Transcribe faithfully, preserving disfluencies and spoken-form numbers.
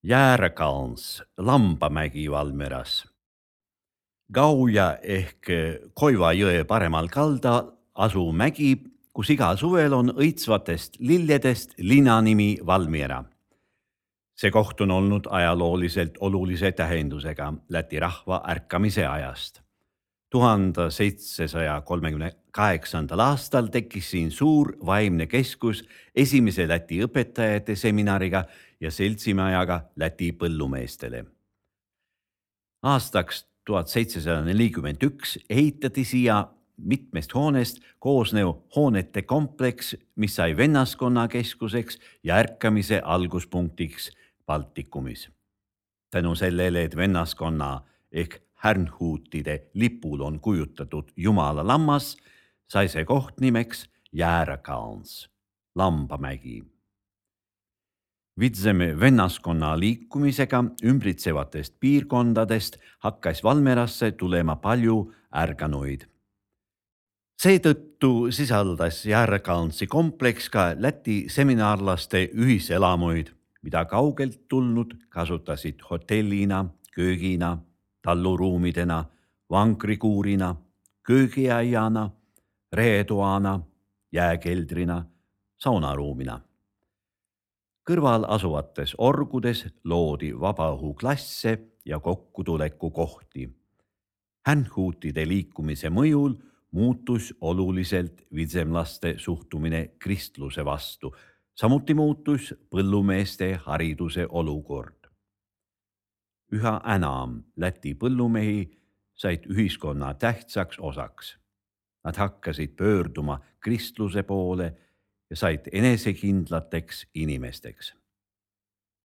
Järkans, Lambamägi Valmieras. Gauja ehk Koiva jõe paremal kaldal asuu mägi, kus iga suvel on õitsvatest lilledest linanimi Valmiera. See koht on olnud ajalooliselt olulise tähendusega Läti rahva ärkamise ajast. tuhande seitsesaja kolmekümne kaheksandal aastal tekkis siin suur vaimne keskus esimese Läti õpetajate seminariga ja seltsimajaga Läti põllumeestele. Aastaks tuhat seitsesada nelikümmend üks ehitati siia mitmest hoonest koosnev hoonete kompleks, mis sai vennaskonna keskuseks ja ärkamise alguspunktiks Baltikumis. Tänu sellele, et vennaskonna ehk härnhuutide lipul on kujutatud Jumala lammas, sai see koht nimeks Järkans, Lambamägi. Vitseme vennaskonna liikumisega ümbritsevatest piirkondadest hakkas Valmierasse tulema palju ärganuid. Seetõttu sisaldas Järkansi kompleks ka Läti seminarlaste ühiselamuid, mida kaugelt tulnud kasutasid hotellina, köögina, talluruumidena, vankrikuurina, köögiaiana, reetoana, jääkeldrina, saunaruumina. Kõrval asuvates orgudes loodi vabaõhuklasse ja kokkutuleku kohti. Härnhuutide liikumise mõjul muutus oluliselt vitsemlaste suhtumine kristluse vastu, samuti muutus põllumeeste hariduse olukord. Üha enam Läti põllumehi said ühiskonna tähtsaks osaks. Nad hakkasid pöörduma kristluse poole ja said enesekindlateks inimesteks.